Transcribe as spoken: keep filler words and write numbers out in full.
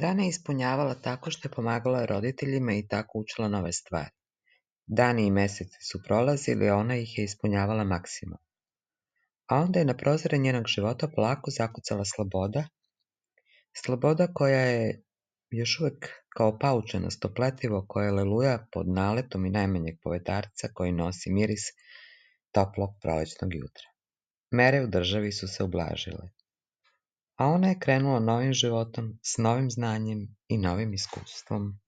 Dane je ispunjavala tako što je pomagala roditeljima i tako učila nove stvari. Dani i meseci su prolazili, a ona ih je ispunjavala maksimum. A onda je na prozore njenog života polako zakucala sloboda, sloboda koja je još uvek kao paučenasto pletivo koje leluja pod naletom i najmanjeg povetarca koji nosi miris toplog prolećnog jutra. Mere u državi su se ublažile, a ona je krenula novim životom s novim znanjem i novim iskustvom.